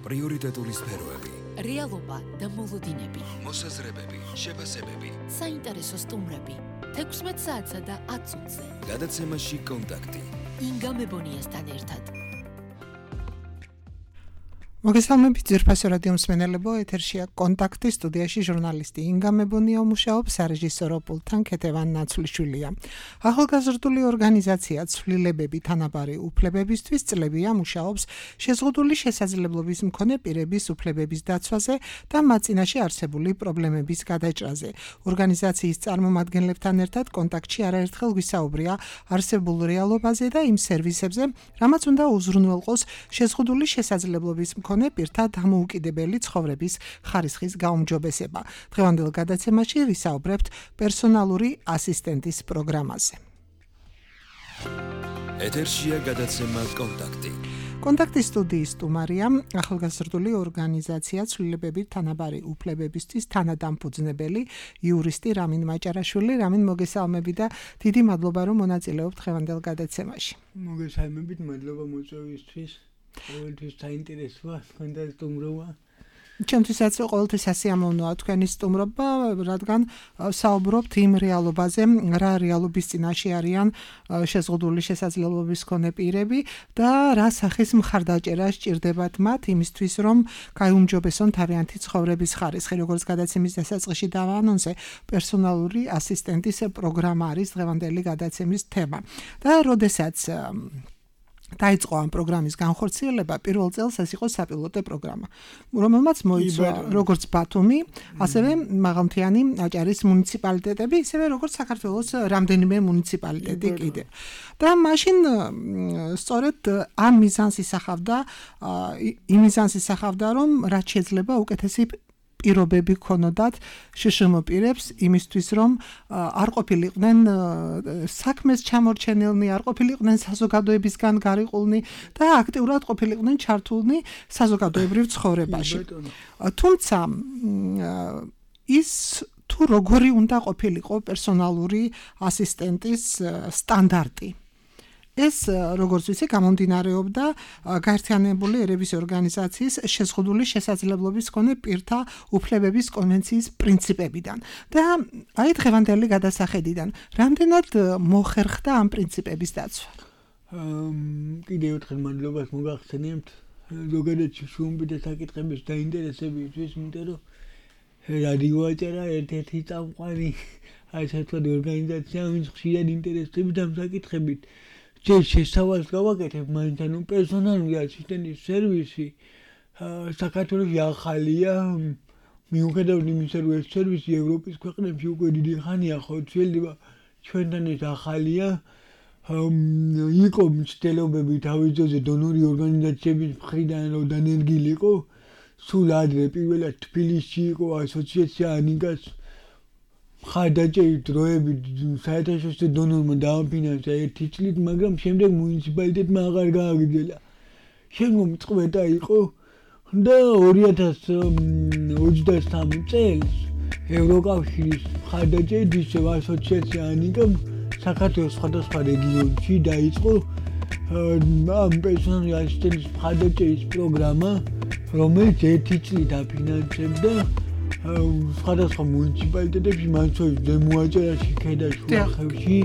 პრიორიტეტული სფეროები, რეალობა და მოლოდინები, მოსაზრებები, შეფასებები, საინტერესო სტუმრები, 16 საათსა და 10 წუთზე. გადაცემაში კონტაქტი. ინგა მებონიასთან ერთად. მოგესალმებით ძვირფასო რადიო მსმენელებო, ეთერშია კონტაქტი, სტუდიაში ჟურნალისტი ინგა მებონია მუშაობს, სარეჟისორო პულტთან ქეთევან ნაცვლიშვილია. ახალგაზრდული ორგანიზაცია ცვლილებები თანაბარი უფლებებისთვის წლებია მუშაობს შეზღუდული შესაძლებლობის მქონე პირების უფლებების დაცვაზე და მათ წინაშე არსებული პრობლემების გადაჭრაზე. ორგანიზაციის წარმომადგენლებთან ერთად კონტაქტში არაერთხელ ვისაუბრია არსებულ რეალობაზე და იმ სერვისებზე, რამაც უნდა უზრუნველყოს შეზღუდული შესაძლებლობის მქონე პირთა დამოუკიდებელი ცხოვრების ხარისხის გაუმჯობესება. დღევანდელ გადაცემაში ვისაუბრებთ პერსონალური ასისტენტის პროგრამაზე. ეთერშია გადაცემა კონტაქტი. კონტაქტის სტუდიის სტუმარია ახალგაზრდული ორგანიზაცია ცვლილებები თანაბარი უფლებებისთვის თანადამფუძნებელი იურისტი რამინ მაჭარაშვილი. რამინ, მოგესალმები და დიდი მადლობა რომ მონაწილეობთ დღევანდელ გადაცემაში. მოგესალმებით, მადლობა მოწვევისთვის. ყოველთვის საინტერესოა თქვენ და სტუმრობა. ჩემთვისაც ყოველთვის ასიამოვნოა თქვენი სტუმრობა, რადგან საუბრობთ იმ რეალობაზე, რა რეალობის წინაშე არიან შეზღუდული შესაძლებლობის მქონე პირები და რა სახის მხარდაჭერა სჭირდებათ მათ იმისთვის, რომ გაიუმჯობესონ თავიანთი ცხოვრების ხარისხი. როგორც გადაცემის დასაწყისში დავაანონსე, პერსონალური ასისტენტის პროგრამა არის დღევანდელი გადაცემის თემა. და როდესაც დაიწყო ამ პროგრამის განხორციელება, პირველ წელს ეს იყო საპილოტო პროგრამა, რომელმაც მოიცვა როგორც ბათუმი, ასევე მაღალმთიანი აჭარის მუნიციპალიტეტები, ისევე როგორც საქართველოს რამდენიმე მუნიციპალიტეტი კიდევ. და მაშინ სწორედ ამ მიზანს ისახავდა, რომ რაც შეიძლება უკეთესი პირობები ქონოდათ შშმ პირებს იმისთვის, რომ არ ყოფილიყვნენ საქმეს ჩამორჩენილნი, არ ყოფილიყვნენ საზოგადოებისგან გარიყულნი და აქტიურად ყოფილიყვნენ ჩართულნი საზოგადოებრივ ცხოვრებაში. თუმცა ის თუ როგორი უნდა ყოფილიყო პერსონალური ასისტენტის სტანდარტი. ეს, როგორც ვიცი, გამომდინარეობდა გაერთიანებული ერების ორგანიზაციის შეზღუდული შესაძლებლობის მქონე პირთა უფლებების კონვენციის პრინციპებიდან. და აი დღევანდელი გადასახედიდან, რამდენად მოხერხდა ამ პრინციპების დაცვა? კიდევ ერთხელ მადლობას მოგახსენებთ ზოგადად შუმბი და საკითხების დაინტერესებისთვის, იმიტომ რომ რადიო აჭარა ერთ-ერთი წამყვანი ასე ვთქვათ ორგანიზაცია, ვინც ხშირად ინტერესდება ამ საკითხებით. შესავალს გავაკეთებ, მაინც ანუ პერსონალური ასისტენტის სერვისი საქართველოში ახალია, მიუხედავად იმისა, რომ ეს სერვისი ევროპის ქვეყნებში უკვე დიდი ხანია ხორციელდება, ჩვენთან ეს ახალია. იყო მცდელობები თავის ძოზე დონორი ორგანიზაციების მხრიდან რომ დანერგილიყო, სულ ადრე პირველად თბილისში იყო ასოციაცია ანიკას ხარდაჭერის დროებით საერთაშორისო დონორმა დააფინანსა 1 წლით, მაგრამ შემდეგ მუნიციპალიტეტმა აღარ გააგრძელა. შემდგომ წყვეტა იყო და 2023 წელს ევროკავშირის ხარდაჭერის ასოციაცია ანიკამ საქართველოს სხვადასხვა რეგიონში დაიწყო ამ პერსონალური ასისტენტის ხარდაჭერის პროგრამა, რომელიც 1 წლით აფინანსებდა სხვადასხვა მუნიციპალიტეტებში, მათ შორის ზემოაჭარაში, ქედაშუახევში,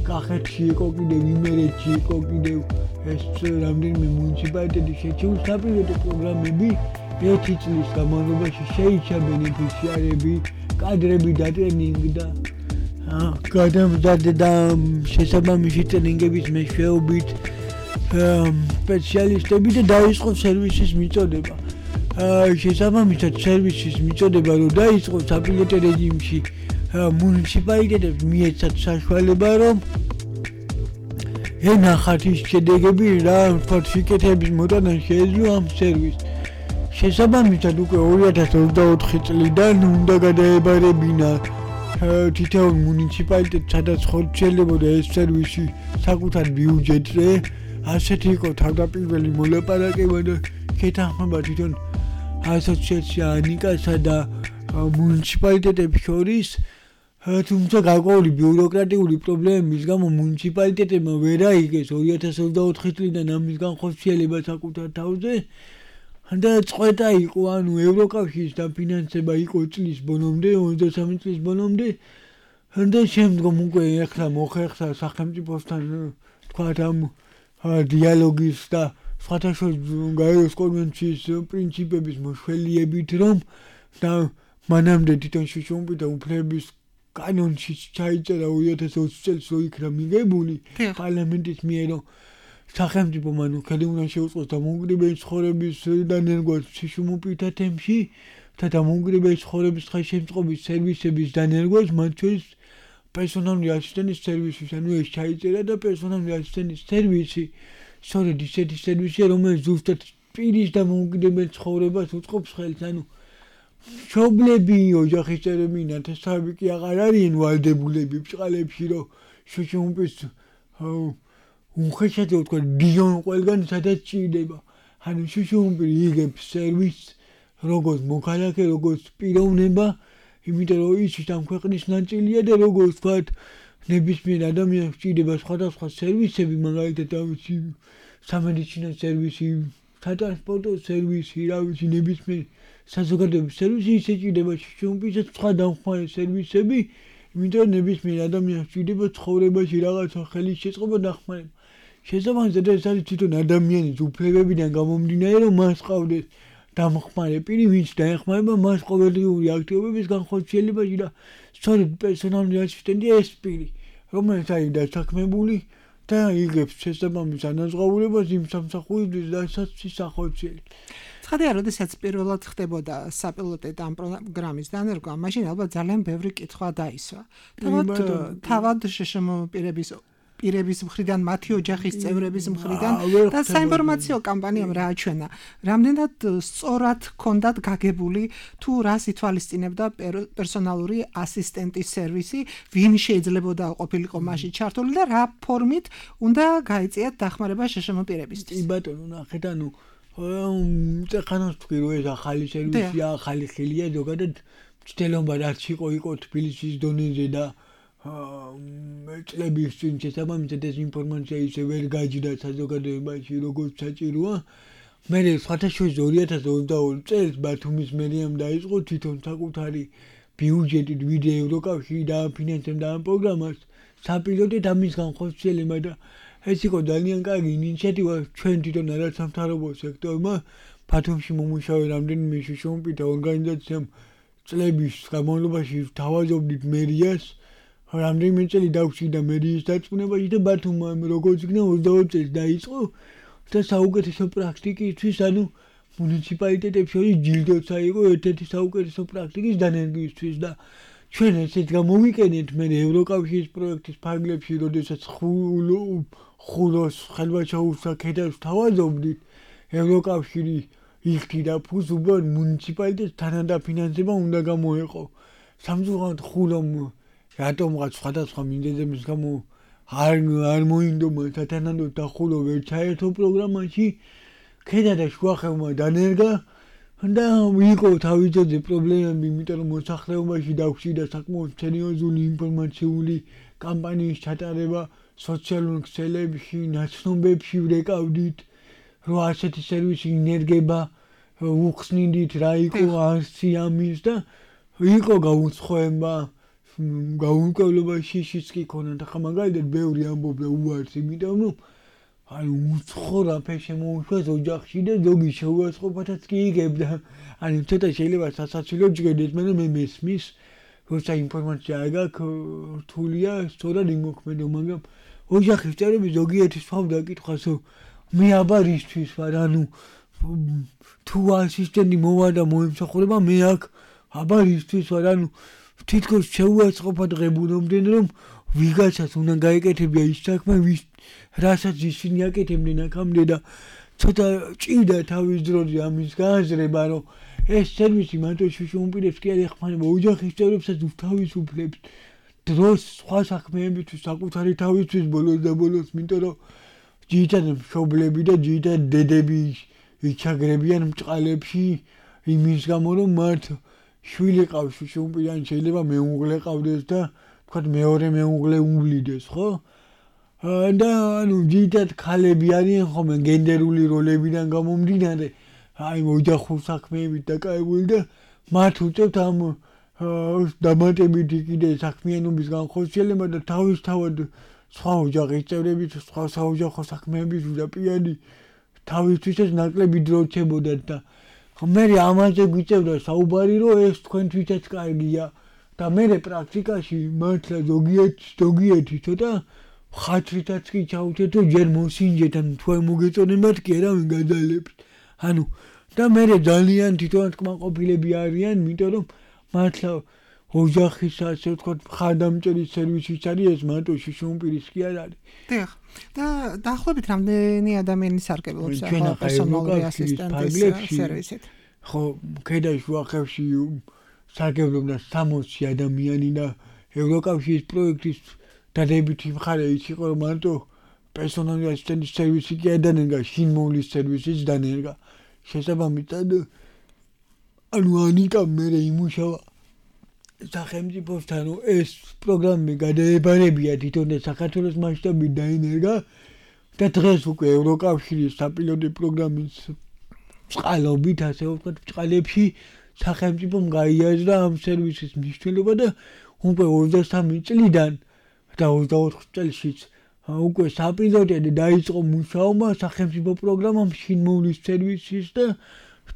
კახეთში იყო კიდევ, იმერეთში იყო კიდევ ეს რამდენიმე მუნიციპალიტეტი შეჩეული. საპილოტო პროგრამები 1 წლის განმავლობაში შეიჭრა ბენეფიციარები, კადრები დატრენინგდა, გადამზადდა და შესაბამისი ტრენინგების მეშვეობით სპეციალისტები და დაიწყო სერვისის მიწოდება. შესაბამისად სერვისის მიწოდება რომ დაიწყო საპილოტო რეჟიმში, მუნიციპალიტეტებს მიეცათ საშუალება, რომ ენახათ ის შედეგები, რა ვთქვათ, სიკეთების მოტანა შეეძლო ამ სერვისს. შესაბამისად უკვე 2024 წლიდან უნდა გადაებარებინა თითოეულ მუნიციპალიტეტს, სადაც ხორციელებოდა ეს სერვისი საკუთარ ბიუჯეტზე. ასეთი იყო თავდაპირველი მოლაპარაკება და შეთანხმება თვითონ ასოციაცია ანიკასა და მუნიციპალიტეტების შორის, თუმცა გარკვეული ბიუროკრატიული პრობლემების გამო მუნიციპალიტეტებმა ვერ აიღეს 2024 წლიდან ამის განხორციელება საკუთარ თავზე. და წყვეტა იყო, ანუ ევროკავშირის დაფინანსება იყო წლის ბოლომდე, 23 წლის ბოლომდე. და შემდგომ უკვე ეხლა მოხერხდა სახელმწიფოსთან თქვათ ამ დიალოგის და სხვათა შორის გაეროს კონვენციის პრინციპების მოშველიებით, რომ და მანამდე თვითონ შუშუმპიტა უფლების კანონში ჩაიწერა 2020 წელს რო იქნა მიღებული პარლამენტის მიერ, რომ სახელმწიფო მანუ ხელი უნდა შეუწყოს დამოუკიდებელი ცხოვრების დანერგვას შუშუმპიტა თემში და დამოუკიდებელი ცხოვრების ხელშემწყობის სერვისების დანერგვას, მათ შორის პერსონალური ასისტენტის სერვისის, ანუ ეს ჩაიწერა და პერსონალური ასისტენტის სერვისი სწორედ ისეთი სერვისია, რომელიც ზუსტად პირის დამოუკიდებელ ცხოვრებას უწყობს ხელს, ანუ მშობლები, ოჯახის წევრები, ნათესავები კი აღარ არიან ვალდებულები ბრჭყალებში, რომ შუშუმპის უხეშად ვთქვა დიონ ყველგან სადაც ჭირდება. ანუ შუშუმპი იღებს სერვისს როგორც მოქალაქე, როგორც პიროვნება, იმიტომ რომ ის ამ ქვეყნის ნაწილია და როგორც ვთქვათ, ნებისმიერ ადამიანს ჭირდება სხვადასხვა სერვისები, მაგალითად თავისი სამედიცინო სერვისი, სატრანსპორტო სერვისი, ნებისმიერ საზოგადოების სერვისი, ისე ჭირდება შუშუმპისაც სხვა დამხმარე სერვისები, იმიტომ რომ ნებისმიერ ადამიანს ჭირდება ცხოვრებაში რაღაცა ხელის შეწყობა დახმარება. შესაბამისად ეს არის თვითონ ადამიანის უფლებებიდან გამომდინარე, რომ მას ყავდეს დამხმარე პირი, ვინც დაეხმარება მას ყოველდღიური აქტივობების განხორციელებაში და სწორედ პერსონალური ასისტენტია ეს პირი, რომელიც არის დასაქმებული და იღებს შესაბამის ანაზღაურებას იმ სამსახურისთვის, რასაც ის ახორციელებს. ცხადია, როდესაც პირველად ხდებოდა საპილოტეტო ამ პროგრამის დანერგვა, მაშინ ალბათ ძალიან ბევრი კითხვა დაისვა. თავად შშმ-პირების მხრიდან, მათი ოჯახის წევრების მხრიდან და საინფორმაციო კამპანიამ რა აჩვენა. რამდენად სწორად ჰქონდათ გაგებული თუ რას ითვალისწინებდა პერსონალური ასისტენტის სერვისი, ვინ შეიძლებოდა ყოფილიყო მასში ჩართული და რა ფორმით უნდა გაეწიათ დახმარება შშმ-პირებისთვის. კი ბატონო, ნახეთ, ანუ წეხანას თქვი რომ ეს ახალი სერვისია, ახალი ხელია, ზოგადად მცდელობა რაც იყო თბილისის დონეზე და წლების წინ შესაბამისად ეს ინფორმაცია ისე ვერ გაჯდა საზოგადოებაში როგორც საჭიროა. მე სხვათა შორის 2022 წელს ბათუმის მერიამ დაიწყო თვითონ საკუთარი ბიუჯეტით ვიდეო ევროკავშირი დააფინანსებდა ამ პროგრამას საპილოტეთ ამის განხორციელება და ეს იყო ძალიან კარგი ინიციატივა ჩვენ თვითონ არასამთავრობო სექტორმა ბათუმში მომუშავე რამდენიმე შუშუმპიტა ორგანიზაციამ წლების განმავლობაში თავაზობდით მერიას რამდენიმე წელი დაგვჭირდა მერიის დარწმუნებაში და ბათუმმა როგორც იქნა 22 წელს დაიწყო და საუკეთესო პრაქტიკისთვის, ანუ მუნიციპალიტეტებს შორის ჯილდოც აიღო ერთ-ერთი საუკეთესო პრაქტიკის დანერგვისთვის და ჩვენ ესეც გამოვიყენეთ მე ევროკავშირის პროექტის ფარგლებში, როდესაც ხულოს ხელვაჩაურსა ქედას თავაზობდით, ევროკავშირი იხდიდა ფულს უბრალოდ მუნიციპალიტეტს თანადაფინანსება უნდა გამოეყო. სამწუხაროდ ხულომ რატომღაც სხვადასხვა მინდეძების გამო არ მოინდომა სათანადოდ და ხულო ვერ ჩაერთო პროგრამაში, ქედა და შუახევმა დანერგა და იყო თავიდანვე პრობლემები, იმიტომ რომ მოსახლეობაში დაგვჭირდა საკმაოდ სერიოზული ინფორმაციული კამპანიის ჩატარება სოციალურ ქსელებში, ნაცნობებში ვრეკავდით, რომ ასეთი სერვისი ინერგება, უხსნიდით რა იყო არსი ამის და იყო გაუცხოება, გაუმკვლობა შიშიც კი ქონდა, ხა მაგალითად ბევრი ამბობდა უარს, იმიტომ რომ ანუ უცხო რაფე შემოუშვეს ოჯახში და ზოგი შეუწყობათაც კი იგებდა. ანუ ცოტა შეიძლება სასაცილო ჯგედეთ, მაგრამ მე მესმის, როცა ინფორმაცია არ გაქვს, რთულია სწორად იმოქმედო, მაგრამ ოჯახის წევრები ზოგიერთი სვავდა კითხვას, მე აბა რისთვის ვარ, ანუ თუ ასისტენტი მოვა და მოემსახურება, მე აქ აბა რისთვის ვარ, ანუ თითქოს შეუაწყობად ღებულობდნენ, რომ ვიღაცას უნდა გაეკეთებია ის საქმე, რასაც ისინი აკეთებდნენ აქამდე და ცოტა ჭირდა თავის დროზე ამის გააზრება, რომ ეს სერვისი მარტო შუშუმპირებს კი არ ეხმარება, ოჯახის წევრებსაც თავისუფლებს დროს სხვა საქმეებისთვის, საკუთარი თავისთვის ბოლოს და ბოლოს, იმიტომ რომ ძირითადად მშობლები და ძირითადად დედები იჩაგრებიან ბრჭყალებში იმის გამო, რომ მათ შვილი ყავს შუშუმპირან, შეიძლება მეუღლე ყავდეს და თქვათ მეორე მეუღლე უვლიდეს, ხო? და ანუ ძირითადად ქალები არიან ხოლმე გენდერული როლებიდან გამომდინარე, აი ოჯახურ საქმეებით დაკავებული და მათ უწევთ ამ დამატებითი კიდე საქმიანობის განხორციელება და თავისთავად სხვა ოჯახის წევრებით, სხვა საოჯახო საქმეების უდაპიანი თავისთვისაც ნაკლები დრო რჩებოდათ და მე ამაზე გვიწევდა საუბარი, რომ ეს თქვენთვისაც კარგია და მე პრაქტიკაში მართლა ზოგიერთი ცოტა ხათრითაც კი ჩავუჩეთ, რომ ჯერ მოსინჯეთ, ან თქვენ მოგეწონებათ კი არა ვინ გადალებთ. ანუ და მე ძალიან თვითონ კმაყოფილები არიან, იმიტომ რომ მართლა ოჯახის ასე ვთქვათ მხარდამჭერის სერვისიც არის ეს მარტო შიშუმპირის კი არ არის. დიახ. და დაახლოებით რამდენი ადამიანი სარგებლობს პერსონალური ასისტენტის სერვისით? ხო, ქედაში ვახევში სარგებლობდა 60 ადამიანი და ევროკავშირის პროექტის დადებითი მხარე ის იყო, რომ მარტო პერსონალური ასისტენტის სერვისი კი არ დანერგა, შინმოვლის სერვისიც დანერგა. შესაბამისად, ანუ ანიკამ მე იმუშავა სახელმწიფოსთან, რომ ეს პროგრამები გადაებარებია თვითონ და საქართველოს მასშტაბით დაინერგა და დღეს უკვე ევროკავშირის საპილოტო პროგრამის წყალობით, ასე ვთქვათ, წყალებში სახელმწიფომ გაიაზრა ამ სერვისის მნიშვნელობა და უკვე 23 წლიდან და 24 წელშიც უკვე საპილოტოდ დაიწყო მუშაობა სახელმწიფო პროგრამამ შინმოვლის სერვისის და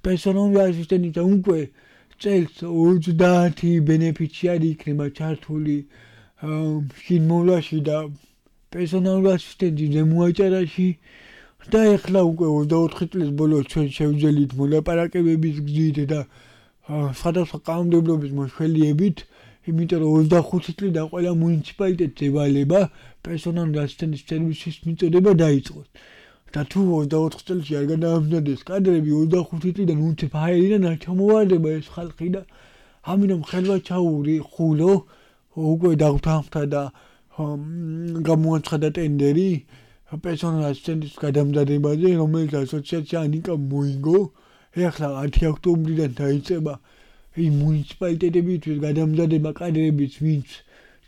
პერსონალური ასისტენტის და უკვე წელს 30 ბენეფიციარი იქნება ჩართული შინმოვლაში და პერსონალური ასისტენტის ზემოაჭარაში და ეხლა უკვე 24 წლის ბოლოს ჩვენ შევძელით მოლაპარაკებების გზით და სხვადასხვა კანონმდებლობის მოშველიებით, იმიტომ რომ 25 წლიდან ყველა მუნიციპალიტეტს ევალება პერსონალური ასისტენტის სერვისის მიწოდება დაიწყოს. და თუ 24 წელში არ გადაამზადეს კადრები 25 წლიდან უცებ აერიდან არ ჩამოვარდება ეს ხალხი და ამიტომ ხელვაჩაური ხულო უკვე დაგთანხმდა და გამოაცხადა ტენდერი პერსონალური ასისტენტის გადამზადებაზე, რომელიც ასოციაცია ანიკა მოიგო. ეხლა 10 ოქტომბრიდან დაიწყება იმ მუნიციპალიტეტებისთვის გადამზადება კადრების, ვინც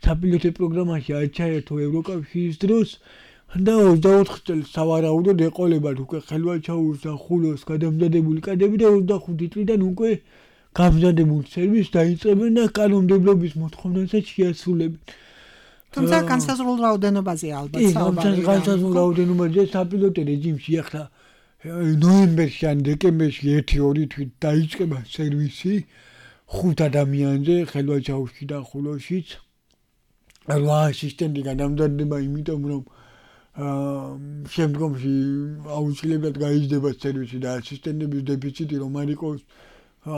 საპილოტო პროგრამაში არ ჩაერთო ევროკავშირის დროს და 24 წელს სავარაუდოდ ეყოლებათ უკვე ხელვაჩაურს და ხულოს გადამზადებული კადრები და 25 წლიდან უკვე გამზადებულ სერვისს დაიწყებენ და კანონმდებლობის მოთხოვნასაც შეასრულებენ. თუმცა განსაზღვრულ რაოდენობაზე ალბათ საუბარი. განსაზღვრულ რაოდენობაზე საპილოტო რეჟიმში ახლა ნოემბერში ან დეკემბერში 1-2 თვით დაიწყება სერვისი 5 ადამიანზე ხელვაჩაურში და ხულოშიც. 8 ასისტენტი გადამზადდება, იმიტომ რომ შემდგომში აუცილებლად გაიზრდება სერვისი და ასისტენტების დეფიციტი რომ არ იყოს,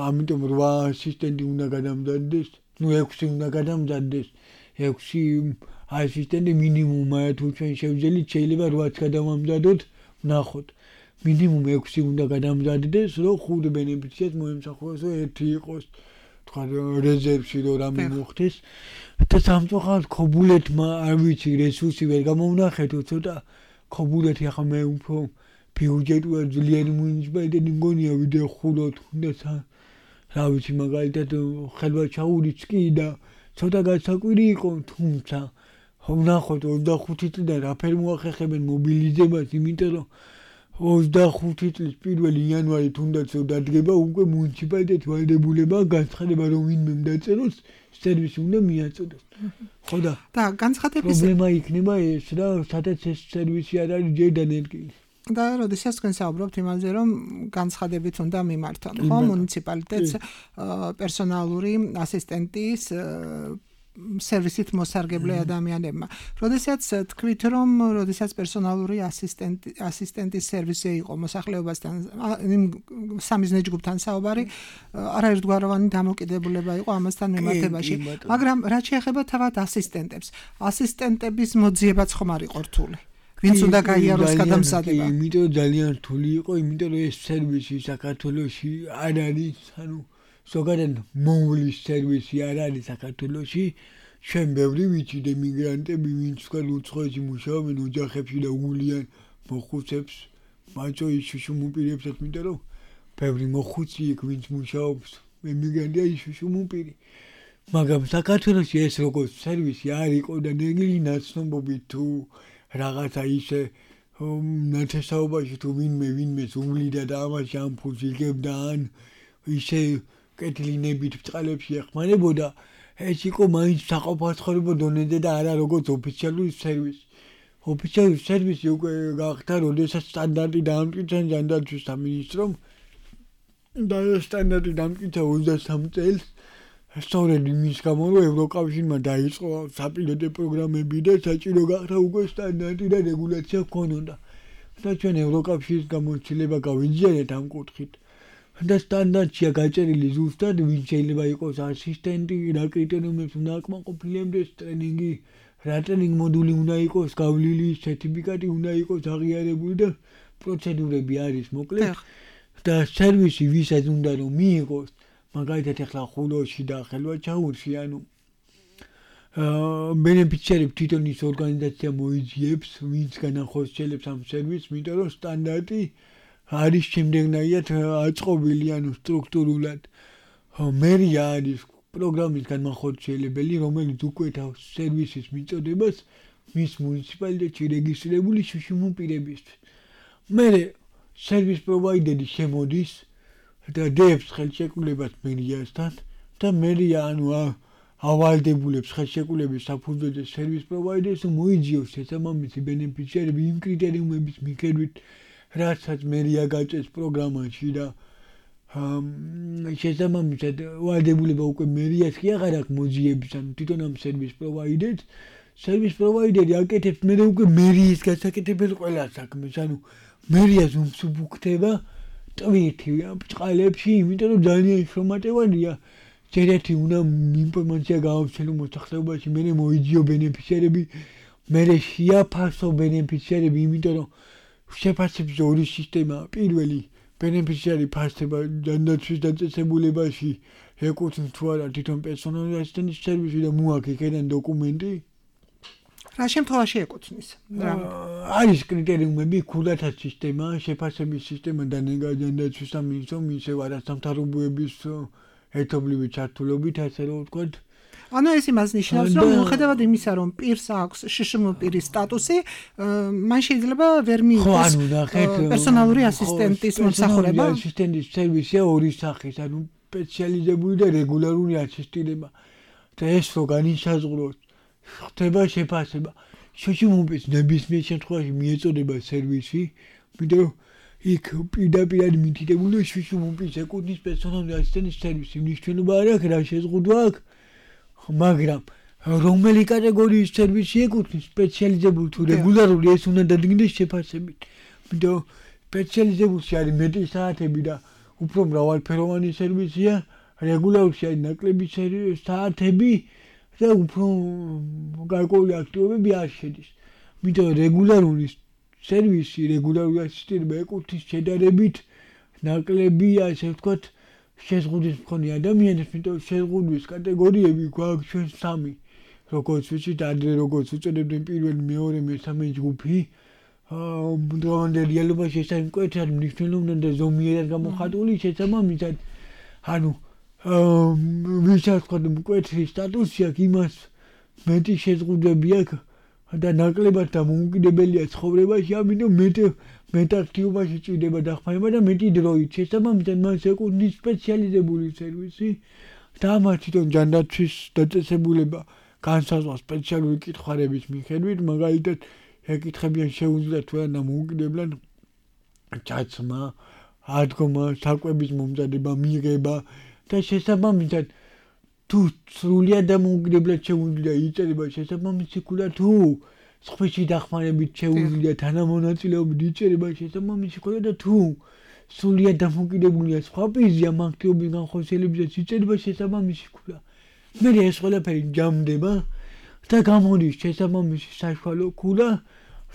ამიტომ 8 ასისტენტი უნდა გადამზადდეს, 6 უნდა გადამზადდეს, 6 ასისტენტი მინიმუმია, თუ ჩვენ შევძელით შეიძლება 8-ს გადავამზადოთ, ვნახოთ. მინიმუმ 6 უნდა გადამზადდეს, რომ 5 ბენეფიციარს მოემსახუროს, რომ 1 იყოს თქვა რეზერვში რომ რამე მოხდეს. და სამწუხაროდ ქობულეთმა არ ვიცი რესურსი ვერ გამოვნახეთო, ცოტა ქობულეთი ახლა მე უფრო ბიუჯეტურად ძლიერი მუნიციპალიტეტი მგონია ვიდრე ხულო თუნდაც რა ვიცი მაგალითად ხელვაჩაურიც კი და ცოტა გასაკვირი იყო, თუმცა ვნახოთ 25 წლიდან რაფერ მოახერხებენ მობილიზებას, იმიტომ რომ 25 წლის 1 იანვარი თუნდაც დადგება უკვე მუნიციპალიტეტი ვალდებულება განცხადება რომ ვინმე დაწეროს სერვისი უნდა მიაწოდოს. ხო და განცხადების პრობლემა იქნება ეს რა, სადაც ეს სერვისი არ არის ჯერ დანერგილი. და როდესაც თქვენ საუბრობთ იმაზე, რომ განცხადებით უნდა მიმართონ, ხო, მუნიციპალიტეტს პერსონალური ასისტენტის სერვისით მოსარგებლე ადამიანებმა. როდესაც თქვით, რომ როდესაც პერსონალური ასისტენტის სერვისი იყო მოსახლეობასთან, სამიზნე ჯგუფთან საუბარი, არაერთგვაროვანი დამოკიდებულება იყო ამასთან მიმართებაში. მაგრამ რაც შეეხება თავად ასისტენტებს, ასისტენტების მოძიებაც ხომ არ იყო რთული. ვინც უნდა გაიაროს გადამზადება? იმიტომ ძალიან რთული იყო, იმიტომ რომ ეს სერვისი საქართველოში არ არის, ანუ ზოგადად მომვლის სერვისი არ არის საქართველოში. ჩვენ ბევრი ვიცით ემიგრანტები, ვინც თქვენ უცხოეთში მუშაობენ ოჯახებში და უგულიან მოხუცებს, მაჭოის შუშუმუპირებსაც, იმიტომ რომ ბევრი მოხუცი იქ ვინც მუშაობს, ემიგრანტია ის შუშუმუპირი. მაგრამ საქართველოში ეს როგორც სერვისი არ იყო და ნეგლი ნაცნობობით თუ რაღაცა ისე ნათესაობაში თუ ვინმეს უვლიდა და ამას ამ ფულს იგებდა ან ისე კეთილინებით ბრწყალებში ეხმარებოდა ეს იყო მაინც საყოფაცხოვრებო დონეზე და არა როგორც ოფიციალური სერვისი. ოფიციალური სერვისი უკვე გახდა, როდესაც სტანდარტი დაამტკიცა ჯანდაცვის სამინისტრომ და სტანდარტი დაამტკიცა 23 წელს. სწორედ იმის გამო, რომ ევროკავშირმა დაიწყო საპილოტო პროგრამები და საჭირო გახდა უკვე სტანდარტი და რეგულაცია ჰქონოდა. და ჩვენ ევროკავშირის გამოცდილება გავიძიარეთ ამ კუთხით. და სტანდარტია გაჭერილი ზუსტად, ვინ შეიძლება იყოს ასისტენტი, რა კრიტერიუმებს უნდა აკმაყოფილებდეს, ტრენინგი, რა ტრენინგ მოდული უნდა იყოს გავლილი, სერტიფიკატი უნდა იყოს აღიარებული და პროცედურები არის მოკლედ. და სერვისი ვისაც უნდა რომ მიიღოს, მაგალითად ახლა ხულოში და ხელვაჩაურში, ანუ ბენეფიციარებს თვითონ ის ორგანიზაცია მოიძიებს, ვინც განახორციელებს ამ სერვისს, იმიტომ რომ სტანდარტი არის შემდეგნაირად აწყობილი, ანუ სტრუქტურულად. მერია არის პროგრამის განმახორციელებელი, რომელიც უკვეთავს სერვისის მიწოდებას მის მუნიციპალიტეტში რეგისტრირებული შუშიმ პირებისთვის. მერე სერვის პროვაიდერი შემოდის და დებს ხელშეკრულებას მერიასთან და მერია ანუ ავალდებულებს ხელშეკრულების საფუძველზე სერვის პროვაიდერს მოიძიოს შესაბამისი ბენეფიციარები იმ კრიტერიუმების მიხედვით რასაც მერია გაწეს პროგრამაში და შესაბამისად ვალდებულება უკვე მერიას კი აღარ აქვს მოძიების ანუ თვითონ ამ სერვის პროვაიდერს სერვის პროვაიდერი აკეთებს მერე უკვე მერიის გასაკეთებელ ყველა საქმეს ანუ მერიას უმსუბუქდება ტვირთი ბრწყალებში იმიტომ რომ ძალიან შრომატევადია ჯერეთი უნდა ინფორმაცია გაავრცელო მოსახლეობაში მერე მოიძიო ბენეფიციარები მერე შეაფასო ბენეფიციარები იმიტომ რომ შეფასების ორი სისტემა პირველი ბენეფიციარი ფასდება ჯანდაცვის დაწესებულებაში ეკუთვნის თუ არა თვითონ პერსონალური ასისტენტის სერვისი და მოაქვს იქიდან დოკუმენტი რა შემთხვევაში ეკუთვნის არის კრიტერიუმები ქულათა სისტემა შეფასების სისტემა და ჯანდაცვის სამინისტრომ ისევ არასამთავრობოების ერთობლივი ჩართულობით ასე რომ ვთქვათ ანუ ეს იმას ნიშნავს რომ მიუხედავად იმისა რომ პირს აქვს შშმ პირის სტატუსი მან შეიძლება ვერ მიიღოს პერსონალური ასისტენტის მომსახურება ასისტენტის სერვისია ორი სახის ანუ სპეციალიზებული და რეგულარული ასისტირება და ეს რო განისაზღვროს ხდება შეფასება შშმ-ის ნებისმიერ შემთხვევაში მიეწოდება სერვისი იმიტომ რომ იქ პირდაპირ მითითებული შშმ-ის ეკუთვნის პერსონალური ასისტენტის სერვისი მნიშვნელობა არ აქვს რა შეზღუდვა აქვს მაგრამ რომელი კატეგორიის სერვისი ეკუთვნის სპეციალიზებული თუ რეგულარული ეს უნდა დადგინდეს შეფასებით. იმიტომ სპეციალიზებულში არის მეტი საათები და უფრო მრავალფეროვანი სერვისია, რეგულარულში არის ნაკლები საათები და უფრო გარკვეული აქტივობები არ შედის. იმიტომ რეგულარული სერვისი, რეგულარული ასისტირება ეკუთვნის შედარებით ნაკლები, ასე ვთქვათ, შეზღუდვის მქონე ადამიანებს, იმიტომ შეზღუდვის კატეგორიები გვაქვს ჩვენ სამი. როგორც ვიცით, ადრე როგორც უწოდებდნენ პირველი, მეორე, მესამე ჯგუფი, დღევანდელ რეალობაში ეს არის მკვეთრად მნიშვნელოვანი და ზომიერად გამოხატული შესაბამისად. ანუ ვისაც ვთქვათ, მკვეთრი სტატუსი აქვს, იმას მეტი შეზღუდვები აქვს და ნაკლებად დამოუკიდებელია ცხოვრებაში, ამიტომ მეტ აქტივობაში ჭირდება დახმარება და მეტი დროით. შესაბამისად, მას ეკუთვნის სპეციალიზებული სერვისი და ამას თვითონ ჯანდაცვის დაწესებულება განსაზღვრავს სპეციალური კითხვების მიხედვით, მაგალითად, ეკითხებიან შეუძლიათ თუ არა დამოუკიდებლად ჩაცმა, ადგომა, საკვების მომზადება, მიღება და შესაბამისად თუ სრულიად დამოუკიდებლად შეუძლია იწერება შესაბამისი ქულა თუ სხვისი დახმარებით შეუძლია თანამონაწილეობით იწერება შესაბამისი ქულა და თუ სრულიად დამოუკიდებულია სხვა პირზე ამ აქტივობის განხორციელებისას იწერება შესაბამისი ქულა. მე ეს ყველაფერი ჯამდება და გამოდის შესაბამისი საშუალო ქულა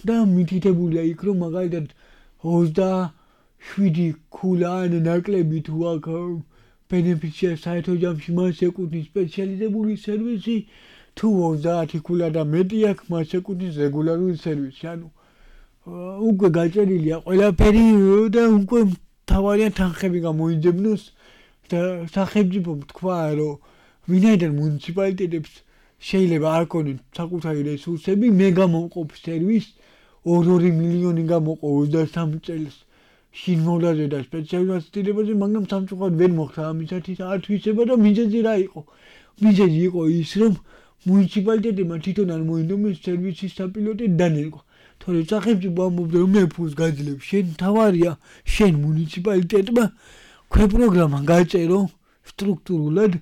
და მითითებულია იქ რომ მაგალითად 27 ქულა ან ნაკლები თუ აქვს ბენეფიციარს საერთო ჯამში მას ეკუთვნის სპეციალიზებული სერვისი თუ 30 ქულა და მეტი აქვს მას ეკუთვნის რეგულარული სერვისი ანუ უკვე გაჭერილია ყველაფერი და უკვე თავარია თანხები გამოიძებნოს და სახელმწიფომ თქვა რომ ვინაიდან მუნიციპალიტეტებს შეიძლება არ ქონեն საკუთარი რესურსები მე გამოვყოფ სერვისს 2 მილიონი გამოყო 23 წელს შინმოვლაზე და სპეციალურ ასისტირებაზე, მაგრამ სამწუხაროდ ვერ მოხდა ამისათვის ათვისება და მიზეზი რა იყო? მიზეზი იყო ის, რომ მუნიციპალიტეტებმა თვითონ არ მოინდომეს სერვისის საპილოტე დანერგვა. თორე სახელმწიფო ამბობდა, რომ მე ფულს გაძლევ, შენ თავარია, შენ მუნიციპალიტეტმა ქვეპროგრამა გაწერო სტრუქტურულად,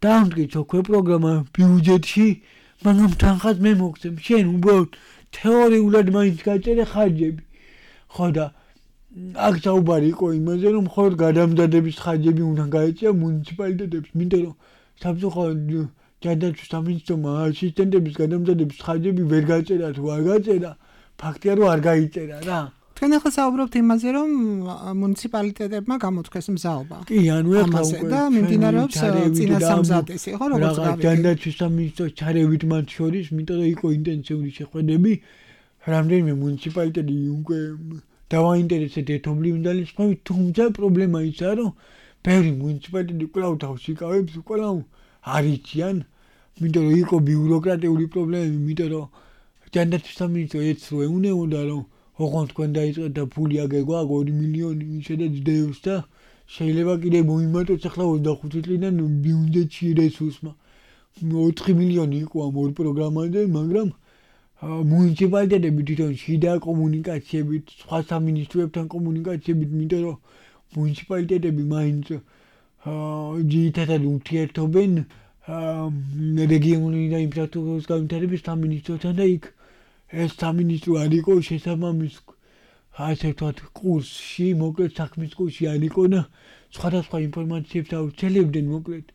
დაამტკიცო ქვეპროგრამა ბიუჯეტში, მაგრამ თანხას მე მოგცემ, შენ უბრალოდ თეორიულად მაინც გაწერე ხარჯები. ხო და აქ საუბარი იყო იმაზე, რომ მხოლოდ გადამზადების ხარჯები უნდა გაეწია მუნიციპალიტეტებს, იმიტომ რომ სამწუხაროდ ჯანდაცვის სამინისტრომ ასისტენტების გადამზადების ხარჯები ვერ გაწერა თუ არ გაწერა, ფაქტია რომ არ გაიწერა რა. თქვენ ახლა საუბრობთ იმაზე, რომ მუნიციპალიტეტებმა გამოთქვეს მზაობა. კი, ანუ ეხლა უკვე და მიმდინარეობს წინასამზადისი, ხო, როგორც გავიგე. ჯანდაცვის სამინისტროს ჩარევით მათ შორის, იმიტომ რომ იყო ინტენსიური შეხვედრები, რამდენიმე მუნიციპალიტეტი უკვე დავაინტერესეთ ერთობლივ ძალისხმევით, თუმცა პრობლემა ისაა, რომ ბევრი მუნიციპალიტეტი კვლავ თავს იკავებს, კვლავ არ იციან, იმიტომ რომ იყო ბიუროკრატიული პრობლემები, იმიტომ რომ ჯანდაცვის სამინისტრო ეცრო ეუნეოდა, რომ ოღონდ თქვენ დაიწყეთ და ფული აგერ გვაქვს 2 მილიონი ისედაც დევს და შეიძლება კიდე მოიმატოს ახლა 25 წლიდან ბიუჯეტში რესურსმა 4 მილიონი იყო ამ ორ პროგრამაზე, მაგრამ მუნიციპალიტეტები თვითონ შიდა კომუნიკაციებით, სხვა სამინისტროებთან კომუნიკაციებით, იმიტომ რომ მუნიციპალიტეტები მაინც ძირითადად ურთიერთობენ რეგიონული და ინფრასტრუქტურის განვითარების სამინისტროსთან და იქ ეს სამინისტრო არ იყო შესაბამის ასე ვთქვათ კურსში, მოკლედ საქმის კურსში არ იყო და სხვადასხვა ინფორმაციებს აუცილებდნენ მოკლედ.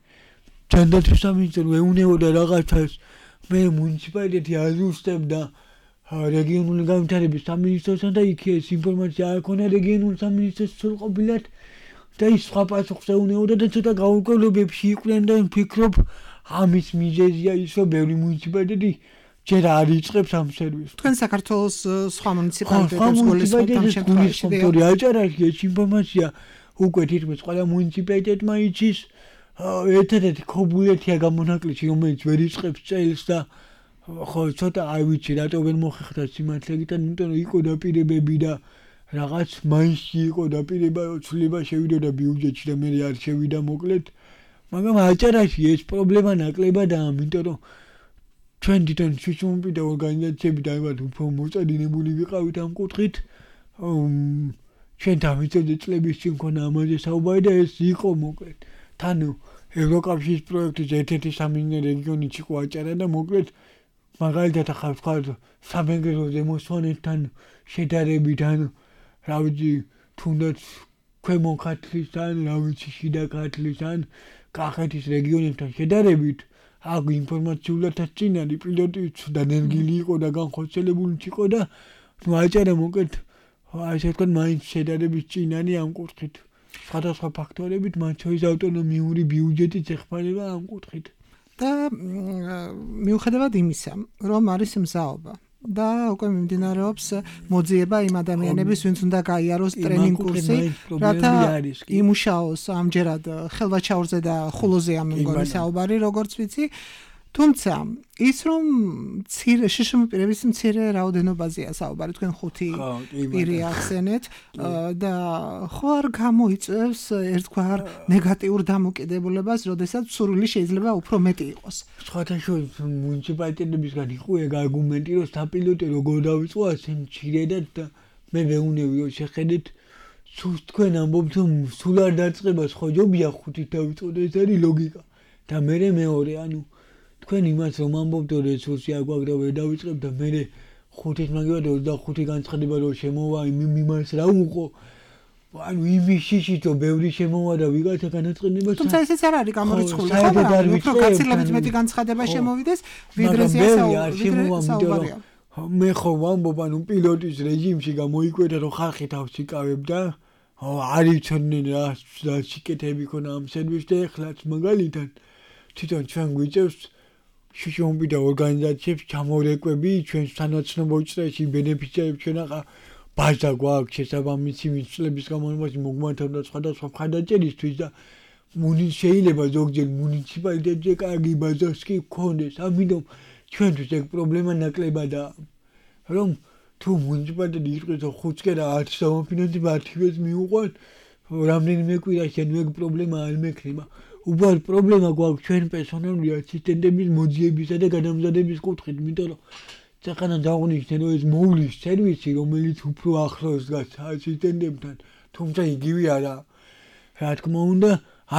ჯანდაცვის სამინისტრო ეუნეოდა რაღაცას, მე მუნიციპალიტეტი აზუსტებდა რეგიონული განვითარების სამინისტროსთან და იქ ეს ინფორმაცია არ ქონა რეგიონული სამინისტრის სრულყოფილად და ის სხვა პასუხს ეუნეოდა და ცოტა გაურკვევლობებში იყვნენ და ვფიქრობ ამის მიზეზია ის, რომ ბევრი მუნიციპალიტეტი ჯერ არ იწყებს ამ სერვისს. თქვენ საქართველოს სხვა მუნიციპალიტეტებს გულისხმობთ ამ შემთხვევაში. თორე აჭარაში ეს ინფორმაცია უკვე თითქმის ყველა მუნიციპალიტეტმა იცის. ერთადერთი ქობულეთია გამონაკლისი, რომელიც ვერ იწყებს წელს და ხო ცოტა არ ვიცი რატო ვერ მოხერხდა სიმართლეთან, იმიტომ რომ იყო დაპირებები და რაღაც მაისში იყო დაპირება, ცვლილება შევიდოდა ბიუჯეტში და მე არ შევიდა მოკლედ. მაგრამ აჭარაში ეს პრობლემა ნაკლებადაა, იმიტომ რომ ჩვენ თვითონ შუშუმპიტა ორგანიზაციები დაიბად უფრო მოწადინებული ვიყავით ამ კუთხით. ჩვენ დამიწევდე წლების წინ ქონა ამაზე საუბარი და ეს იყო მოკლედ. თან ევროკავშირის პროექტის ერთ-ერთი სამინისტრო რეგიონი იყო აჭარა და მოკლედ მაგალითად ახლა ვთქვათ სამეგრელოზე მოსვანეთთან შედარებით ან რა ვიცი თუნდაც ქვემო ქართლისთან, რა ვიცი შიდა ქართლისთან, კახეთის რეგიონებთან შედარებით აქ ინფორმაციულადაც წინ არის პილოტიც დანერგილი იყო და განხორციელებული იყო და ნუ აჭარა მოკლედ ასე ვთქვათ მაინც შედარებით წინ არის ამ კუთხით. სხვადასხვა ფაქტორებით მათ შორის ავტონომიური ბიუჯეტიც ეხმარება ამ კუთხით. და მიუხედავად იმისა, რომ არის მზაობა და უკვე მიმდინარეობს მოძიება იმ ადამიანების, ვინც უნდა გაიაროს ტრენინგ კურსი, რათა იმუშაოს ამჯერად ხელვაჩაურზე და ხულოზეა მე მგონი საუბარი, როგორც ვიცი. თუმცა ის რომ შშმ პირების მცირე რაოდენობაზეა საუბარი, თქვენ 5 პირი ახსენეთ და ხო არ გამოიწევს ერთგვარ ნეგატიურ დამოკიდებულებას, როდესაც სურვილი შეიძლება უფრო მეტი იყოს. სხვადასხვა მუნიციპალიტეტებისგან იყო ეგ არგუმენტი, რომ საპილოტე როგორ დავიწყო ასე მცირედად და მე ვეუნები რომ შეხედეთ თქვენ ამბობთ რომ სულ არ დაწყებას ხო ჯობია 5-ით დავიწყოთ, ეს არის ლოგიკა და მე მეორე ანუ თქვენ იმას რომ ამბობთ რომ რესურსი არ გვაქვს და ვერ დავიწყებ და მე 5-ით მაგივრად 25 განცხადება რომ შემოვა იმას რა უყო ანუ იმის შიშით რომ ბევრი შემოვა და ვიღაცა განაწყენებას თუმცა ესეც არ არის გამორიცხული ხო მაგრამ უფრო გაცილებით მეტი განცხადება შემოვიდეს ვიდრე საუბარია მე ხო ვამბობ ანუ პილოტის რეჟიმში გამოიკვეთა რომ ხალხი თავს იკავებდა არ იცოდნენ რა სიკეთები ქონა ამ სერვისს და ეხლაც მაგალითად თვითონ ჩვენ გვიწევს შუშუმპიტა ორგანიზაციებს ჩამორეკვები ჩვენს თანაცნობო წრეში ბენეფიციარებს ჩვენ ახლა ბაზა გვაქვს შესაბამისი მიწლების განმავლობაში მოგმართავდა სხვადასხვა მხარდაჭერისთვის და შეიძლება ზოგჯერ მუნიციპალიტეტზე კარგი ბაზას კი გქონდეს ამიტომ ჩვენთვის ეგ პრობლემა ნაკლებადაა რომ თუ მუნიციპალიტეტი იტყვის რომ 5 კერა 10 დამოფინანსება 10-ს მიუყვან რამდენიმე კვირაში ან ეგ პრობლემა არ მექნება უბრალოდ პრობლემა გვაქვს ჩვენ პერსონალური ასისტენტების მოძიებისა და გადამზადების კუთხით იმიტომ რომ წახანა დაღვნიშნე რომ ეს მოვლის სერვისი რომელიც უფრო ახლოს დგას ასისტენტებთან თუმცა იგივე არა რა თქმა უნდა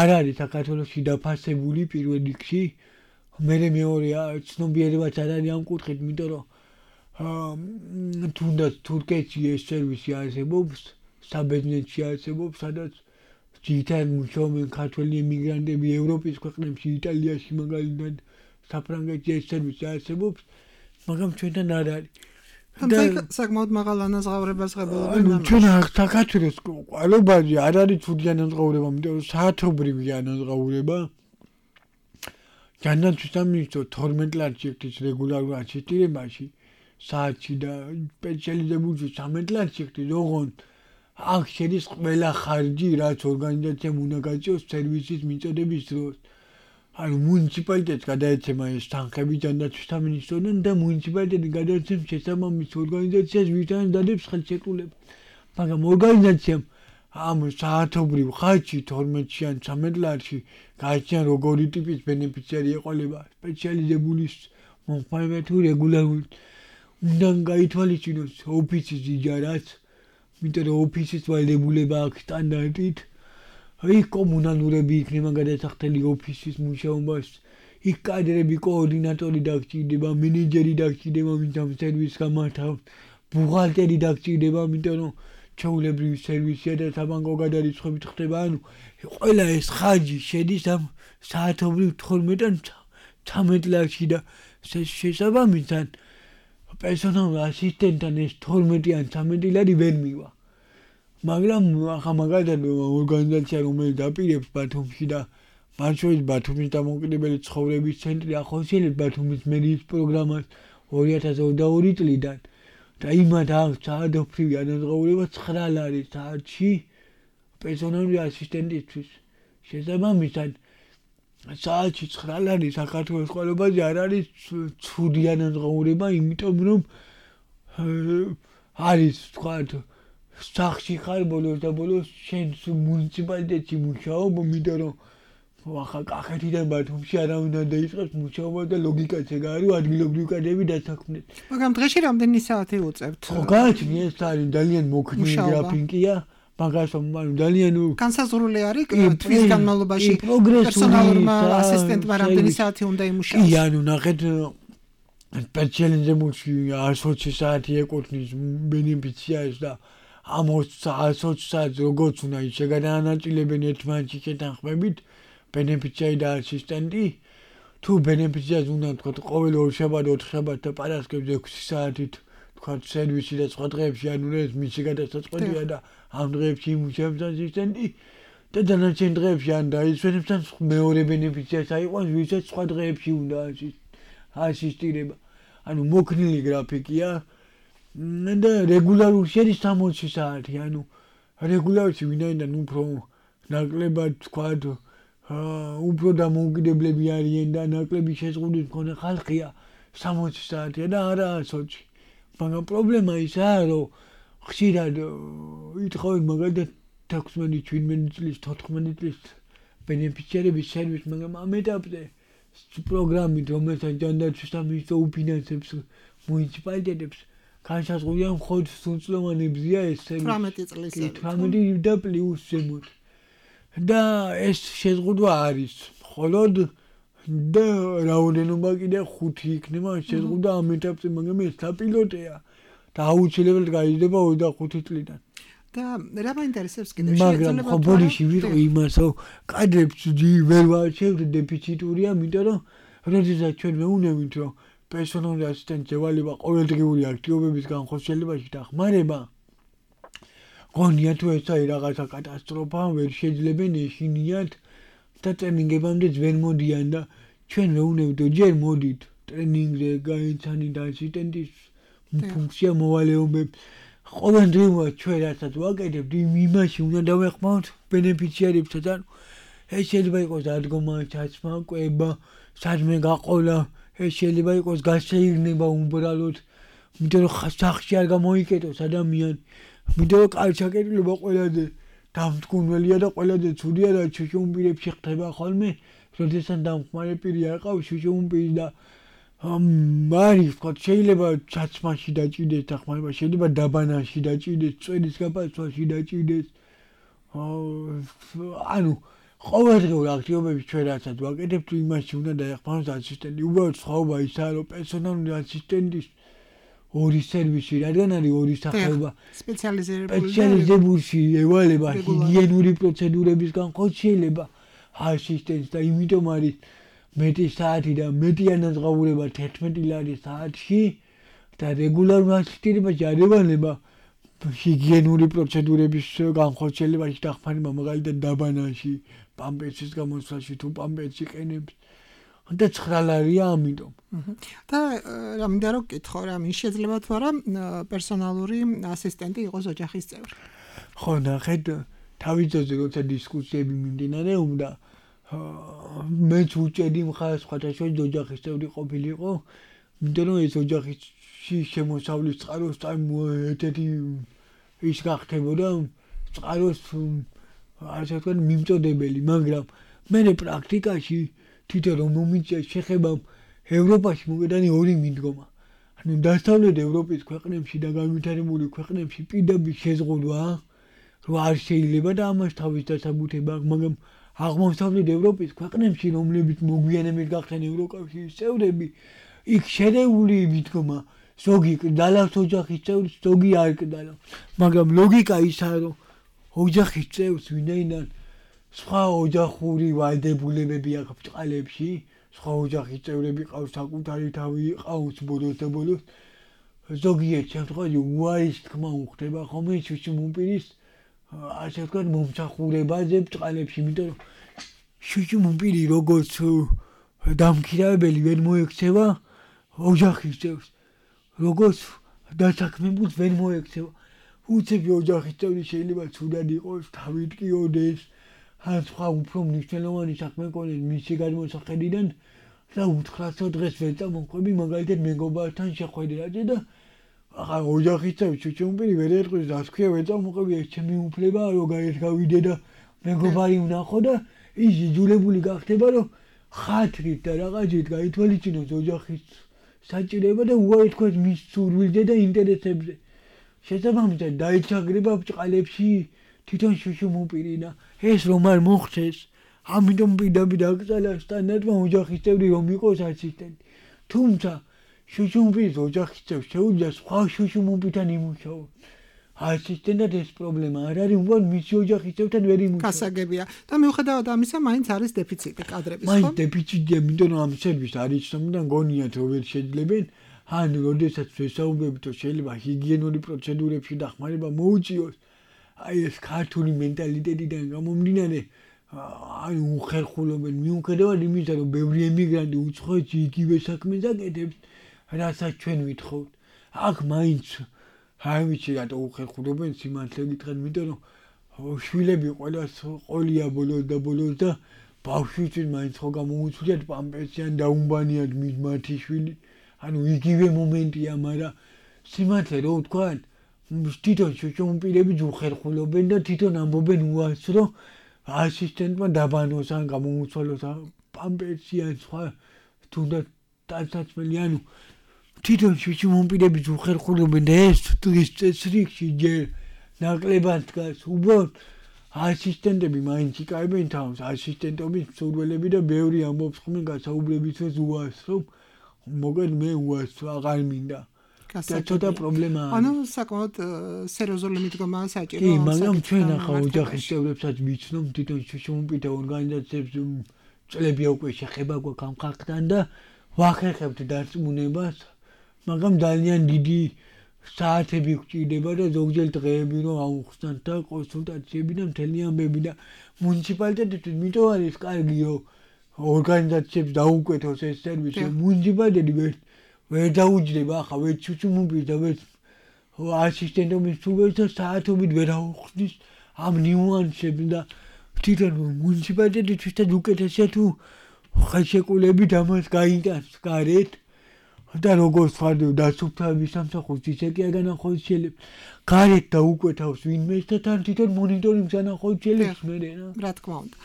არ არის საქართველოში დაფასებული პირველ რიგში მე მეორეა ცნობიერებაც არ არის ამ კუთხით იმიტომ რომ თუნდაც თურქეთში ეს სერვისი არსებობს საბერძნეთში არსებობს სადაც ძირითადად მუშაობენ ქართველი ემიგრანტები ევროპის ქვეყნებში იტალიაში მაგალითად საფრანგეთში ეს სერვისი არსებობს მაგრამ ჩვენთან არ არის და საკმაოდ მაღალ ანაზღაურებას ღებულობენ ჩვენ საქართველოს ყველობაზე არ არის თუდი ანაზღაურება იმიტომ რომ საათობრივი ანაზღაურება განათლების სამინისტრო 12 ლარს ჭირდება რეგულარულ ასისტირებაში საათში და სპეციალიზებული 13 ლარს ჭირდება ოღონდ აქ შედის ყველა ხარჯი რაც ორგანიზაციამ უნდა გაჭიროს სერვისის მიწოდების დროს ანუ მუნიციპალიტეტს გადაეცემა ეს თანხები განათლების სამინისტროდან და მუნიციპალიტეტი გადაეცემს შესაბამის ორგანიზაციას ვისაც დადებს ხელშეკრულება მაგრამ ორგანიზაციამ ამ საათობრივ ხარჯში 12-ში ან 13 ლარში გააჩნია როგორი ტიპის ბენეფიციარი ეყოლება სპეციალიზებული მომხმარებელთა თუ რეგულარული უნდა გაითვალისწინოს ოფისის იჯარაც იმიტომ რომ ოფისის ვალდებულება აქვს სტანდარტით იქ კომუნალურები იქნება გადასახდელი ოფისის მუშაობას იქ კადრები კოორდინატორი დაგჭირდება მენეჯერი დაგჭირდება ვინც ამ სერვისს გამართავს ბუღალტერი დაგჭირდება იმიტომ რომ ჩაულებრივი სერვისია და საბანკო გადარიცხვებით ხდება ანუ ყველა ეს ხარჯი შედის ამ საათობრივ 12-ან 13 ლარში და შესაბამისად პერსონალურ ასისტენტთან ეს 12 ან 13 ლარი ვერ მივა მაგრამ ახლა მაგალითად ორგანიზაცია რომელიც დაპირებს ბათუმში და მათ შორის ბათუმის დამოუკიდებელი ცხოვრების ცენტრი ახორციელებს ბათუმის მერიის პროგრამას 2022 წლიდან და იმათ აქვს საათობრივი ანაზღაურება 9 ლარი საათში პერსონალური ასისტენტისთვის შესაბამისად საათში 9 ლარი საქართველოს ყველობაზე არ არის ცუდი ანაზღაურება იმიტომ რომ არის თქვათ სახში ხარ ბოლოს და ბოლოს შენ მუნიციპალიტეტში მუშაობ იმიტომ რომ ახლა კახეთიდან ბათუმში არავინ არ დაიწყებს მუშაობა და ლოგიკაც ეგ არის ადგილობრივი კადრები დასაქმნეს მაგრამ დღეში რამდენი საათი უწევთ ხო გააჩნია ეს არის ძალიან მოქნილი გრაფიკია მაგას ძალიან განსაზღვრული არის თვის განმავლობაში პერსონალურმა ასისტენტმა რამდენი საათი უნდა იმუშაოს კი ანუ ნახეთ სპეციალიზებული 120 საათი ეკუთვნის ბენეფიციარს და ამ 120 საათს როგორც უნდა ის შეგადაანაწილებენ ერთმანეთში შეთანხმებით ბენეფიციარი და ასისტენტი თუ ბენეფიციარს უნდა თქვათ ყოველ ორ შაბათ 4 შაბათ და პარასკევს 6 საათით თქვათ სერვისი და სხვა დღეებში ანუ ეს მისი გადასაწყვეტია და ამ დღეებში იმუშავებს ასისტენტი და დანარჩენ დღეებში ან დაისვენებს ან მეორე ბენეფიციარს აიყვანს ვისაც სხვა დღეებში უნდა ასისტირება ანუ მოქნილი გრაფიკია და რეგულარული შედის 60 საათი ანუ რეგულარში ვინაიდან უფრო ნაკლებად თქვათ უფრო დამოუკიდებლები არიან და ნაკლები შეზღუდვის მქონე ხალხია 60 საათია და არა 100 მაგრამ პრობლემა ისაა რომ ხშირად ითხოვენ მაგალითად 16-17 წლის 14 წლის ბენეფიციარების სერვისს მაგრამ ამ ეტაპზე პროგრამით რომელსაც ჯანდაცვის სამინისტრო უფინანსებს მუნიციპალიტეტებს განსაზღვრულია მხოლოდ სრულწლოვანებზია ეს სერვისი 18 და პლუს ზემოთ და ეს შეზღუდვა არის მხოლოდ და რაოდენობა კიდე 5 იქნება შეზღუდვა ამ ეტაპზე მაგრამ ეს საპილოტეა და აუცილებლად გაიზრდება 25 წლიდან და რა მაინტერესებს კიდე მაგრამ ხო ბოდიში ვიტყვი იმას რომ კადრებს ვერ ვაჩევთ დეფიციტურია იმიტომ რომ როდესაც ჩვენ მეუნებით რომ პერსონალური ასისტენტი ევალება ყოველდღიური აქტივობების განხორციელებაში და ხმარება გონია თუ ეს არის რაღაცა კატასტროფა ვერ შეძლებენ ეშინიათ და ტრენინგებამდე ვერ მოდიან და ჩვენ მეუნებით რომ ჯერ მოდით ტრენინგზე გაიცანით ასისტენტის ფუნქცია მოვალეობებს ყოველდღიურად ჩვენ რასაც ვაკეთებთ იმაში უნდა დავეხმაროთ ბენეფიციარებსაც ანუ ეს შეიძლება იყოს ადგომა ჩაცმა კვება სადმე გაყოლა ეს შეიძლება იყოს გასეირნება უბრალოდ იმიტომ რომ სახში არ გამოიკეტოს ადამიანი, იმიტომ რომ კალჩაკეტილება ყველაზე დამთქმელია და ყველაზე ცუდია და შუშუმპირებში ხდება ხოლმე, როდესაც დამხმარე პირი არ ყავს შუშუმპირი და არის ვთქვათ, შეიძლება ჩაცმაში დაჭიდეს დახმარება, შეიძლება დაბანაში დაჭიდეს, წვერის გაფასვაში დაჭიდეს. ანუ ყოველდღიურ აქტივობებში ჩვენ რასაც ვაკეთებთ, იმაში უნდა დაეხმაროს ასისტენტი. უბრალოდ სხვაობა ისაა, რომ პერსონალური ასისტენტის ორი სერვისი, რადგან არის ორი სახეობა. სპეციალიზებული ევალება ჰიგიენური პროცედურების განხორციელება ასისტენტს და იმიტომ არის მეტი საათი და მეტი ანაზღაურება 11 ლარი საათში და რეგულარულ ასისტირებაში არ ევალება ჰიგიენური პროცედურების განხორციელებაში დახმარება, მაგალითად დაბანაში, პამპერსის გამოსვლაში თუ პამპერსი ყენებს. და 9 ლარია ამიტომ. და რა მინდა რომ გკითხო, რა შეიძლება თუ არა პერსონალური ასისტენტი იყოს ოჯახის წევრი. ხო, ნახეთ, თავიდანვე როცა დისკუსიები მიმდინარეობდა, მეც უჭერდი მხარს სხვადასხვა ოჯახის წევრი ყოფილიყო, იმიტომ რომ ეს ოჯახში შემოსავლის წყაროს ერთ-ერთი ის გახდებოდა წყაროს ასე ვთქვათ მიმწოდებელი, მაგრამ მე პრაქტიკაში თვითონ რომ მომიწია შეხებამ ევროპაში მოგედანი ორი მიდგომა. ანუ დასავლეთ ევროპის ქვეყნებში და განვითარებული ქვეყნებში პირდაპირ შეზღუდვა, რომ არ შეიძლება და ამას თავის დასაბუთება აქვს, მაგრამ აღმოსავლეთ ევროპის ქვეყნებში, რომლებიც მოგვიანებით გახდნენ ევროკავშირის წევრები, იქ შერეული მიდგომა, ზოგი კდალავს ოჯახის წევრს, ზოგი არ კდალავს. მაგრამ ლოგიკა ისაა, რომ ოჯახის წევრს ვინაიდან სხვა ოჯახური ვალდებულებები აქვს ბჭყალებში, სხვა ოჯახის წევრები ყავს, საკუთარი თავი ყავს ბოლოს და ბოლოს, ზოგიერთ შემთხვევაში უარის თქმა უხდება ხოლმე შუშუმპირის ასე ვთქვათ მომსახურებაზე ბჭყალებში, იმიტომ რომ შუშუმპირი როგორც დამქირავებელი ვერ მოექცევა ოჯახის წევრს, როგორც დასაქმებულს ვერ მოექცევა. უცები ოჯახის წევრი შეიძლება ცუდად იყოს, თავით კიოდეს, ან სხვა უფრო მნიშვნელოვანი საქმე ქონდეს მისი გადმოსახედიდან და უთხრასო დღეს ვერ წამოყვები მაგალითად მეგობართან შეხვედრაზე და ახლა ოჯახის წევრი შუშუმპირი ვერ ერყვის და ასე ქვია ვერ წამოყვები ეს ჩემი უფლება რომ გაერგავიდე და მეგობარი ვნახო და ის იძულებული გახდება რომ ხათრით და რაღაცით გაითვალისწინოს ოჯახის საჭიროება და უარი თქვას მის სურვილზე და ინტერესებზე. შესაბამისად დაიჩაგრება ბჭყალებში თვითონ შუშუმპირი და ეს რომ არ მოხდეს, ამიტომ პირდაპირ აკრძალა სტანდარტმა ოჯახის წევრი რომ იყოს ასისტენტი. თუმცა შუშუმპირის ოჯახის წევრს შეუძლია სხვა შუშუმპირთან იმუშაოს. ასისტენტად ეს პრობლემა არ არის, უბრალოდ მისი ოჯახის წევრთან ვერ იმუშაოს. გასაგებია. და მიუხედავად ამისა, მაინც არის დეფიციტი კადრების, ხო? მაინც დეფიციტია, იმიტომ რომ ამ სერვისს არ იცნობენ და გონიათ რომ ვერ შეძლებენ. ან როდესაც ვესაუბრებით, რომ შეიძლება ჰიგიენური პროცედურებში დახმარება მოუწიოს, აი ეს ქართული მენტალიტეტიდან გამომდინარე, აი უხერხულობენ მიუხედავად იმისა, რომ ბევრი ემიგრანტი უცხოეთში იგივე საქმეს აკეთებს, რასაც ჩვენ ვითხოვთ. აქ მაინც არ ვიცი რატო უხერხულობენ სიმართლე გითხრათ, იმიტომ რომ შვილები ყველას ყოლია ბოლოს და ბოლოს და ბავშვისთვის მაინც ხო გამოუცვლიათ პამპერსი ან დაუმბანიათ მათი შვილი. ანუ იგივე მომენტია, მაგრამ სიმართლე რო ვთქვათ, თვითონ შუშუმპირები უხერხულობენ და თვითონ ამბობენ უარს, რომ ასისტენტმა დაბანოს ან გამოუცვალოს პამპერსი ან სხვა თუნდაც დასაცმელი, ანუ თვითონ შუშუმპირები უხერხულობენ და ეს დღის წესრიგში ჯერ ნაკლებად დგას. უბრალოდ ასისტენტები მაინც იკავებენ თავს, ასისტენტობის მსურველები და ბევრი ამბობს ხოლმე გასაუბრებისთვის უარს, რომ მოგეთ მე უარს აღარ მინდა. და ცოტა პრობლემაა. ანუ საკმაოდ სერიოზული მიდგომაა საჭირო. კი, მაგრამ ჩვენ ახლა ოჯახის წევრებსაც ვიცნობ თვითონ შუშუმპირთა ორგანიზაციებს წლებია უკვე შეხება გვაქვს ამ ხალხთან და ვახერხებთ დარწმუნებას, მაგრამ ძალიან დიდი საათები გვჭირდება და ზოგჯერ დღეები რომ აუხსნათ და კონსულტაციები და მთელი ამბები და მუნიციპალიტეტისთვის მითო არის კარგი რომ ორგანიზაციებს დაუკვეთოს ეს სერვისი. მუნიციპალიტეტი ვერ დაუჯდება ახლა ვერ შუშუმპირს და ვერ ასისტენტობის სულებს და საათობით ვერ აუხსნის ამ ნიუანსებს და თვითონ მუნიციპალიტეტისთვის უკეთესია თუ ხელშეკრულებით ამას გაიტანს გარეთ, და როგორც ხარ დასუფთავების სამსახურს ისე კი აგანახოთ შეიძლება. გარეთ და უკვე თავს ვინმეს და თან თვითონ მონიტორინგს ანახოთ შეიძლება მე რა. რა თქმა უნდა.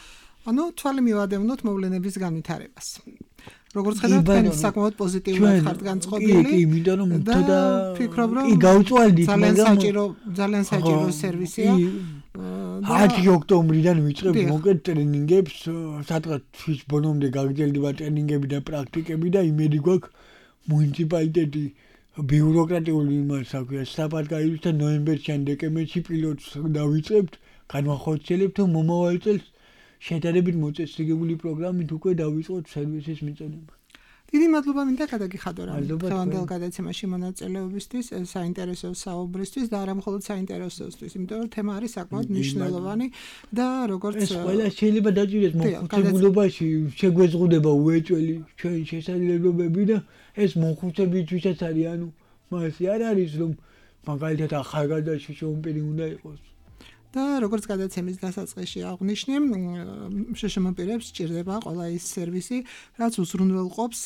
ანუ თვალი მივადევნოთ მოვლენების განვითარებას. როგორც ხედავთ, თქვენ საკმაოდ პოზიტიურად ხართ განწყობილი. კი, იმიტომ რომ და ფიქრობ რომ გავწვალდით, ძალიან საჭირო სერვისია. 10 ოქტომბრიდან ვიწყებთ მოკეთ ტრენინგებს, სადღაც ბოლომდე გაგრძელდება ტრენინგები და პრაქტიკები და იმედი გვაქვს მუნიციპალიტეტი ბიუროკრატიული მასაკვია სწრაფად გაივლის და ნოემბერში ან დეკემბერში პილოტს დავიწყებთ, განვახორციელებთ და მომავალ წელს შედარებით მოწესრიგებული პროგრამით უკვე დავიწყოთ სერვისის მიწოდება. დიდი მადლობა მინდა გადაგიხადო რა. დღევანდელ გადაცემაში მონაწილეობისთვის, საინტერესო საუბრისთვის და არა მხოლოდ საინტერესოსთვის, იმიტომ რომ თემა არის საკმაოდ მნიშვნელოვანი და როგორც ეს ყველა შეიძლება დაჭირდეს მოხუცებულობაში, შეგვეზღუდება უეჭველი ჩვენ შესაძლებლობები და ეს მოხუცებისთვისაც არის, ანუ მასე არ არის რომ მაგალითად ახალგაზრდა შიშომპირი უნდა იყოს. და როგორც გადაცემის დასაწყისში აღვნიშნე, შშმ-პირებს სჭირდება ყველა ის სერვისი, რაც უზრუნველყოფს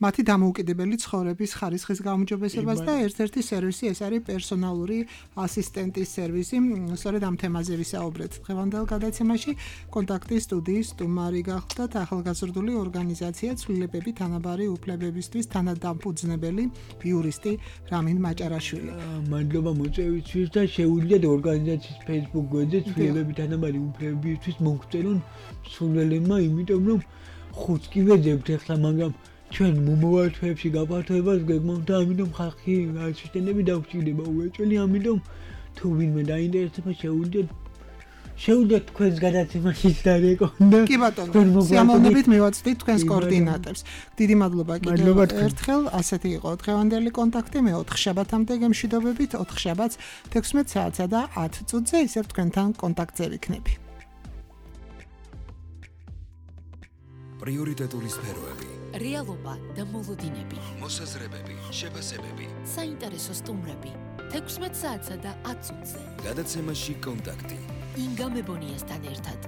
მათი დამოუკიდებელი ცხოვრების ხარისხის გაუმჯობესებას და ერთ-ერთი სერვისი ეს არის პერსონალური ასისტენტის სერვისი. სწორედ ამ თემაზე ვისაუბრეთ დღევანდელ გადაცემაში. კონტაქტის სტუდიის სტუმარი გახლდათ ახალგაზრდული ორგანიზაცია ცვლილებები თანაბარი უფლებებისთვის თანადამფუძნებელი იურისტი რამინ მაჭარაშვილი. მადლობა მოწვევისთვის და შეუძლიათ ორგანიზაციის Facebook გვერდზე ცვლილებები თანაბარი უფლებებისთვის მოგწერონ სულელებმა, იმიტომ რომ ხუთს კი ვეძებთ ახლა, მაგრამ ჩვენ მომავალ თვეებში გაფართოებას გეგმავთ და ამიტომ ხალხი ასისტენტები დაგვჭირდება უეჭველი, ამიტომ თუ ვინმე დაინტერესდება შეუძლიათ თქვენს გადაცემაშიც დარეკონდა. კი ბატონო, სიამოვნებით მივაწვდით თქვენს კოორდინატორს. დიდი მადლობა კიდევ ერთხელ. ასეთი იყო დღევანდელი კონტაქტი. მე 4 შაბათამდე გემშვიდობებით, 4 შაბათს 16 საათსა და 10 წუთზე ისევ თქვენთან კონტაქტზე ვიქნები. პრიორიტეტული სფეროები, რეალობა და მოლოდინები, მოსაზრებები, შეფასებები, საინტერესო სტუმრები, 16 საათსა და 10 წუთზე. გადაცემაში კონტაქტი. ინგა მებონიასთან ერთად.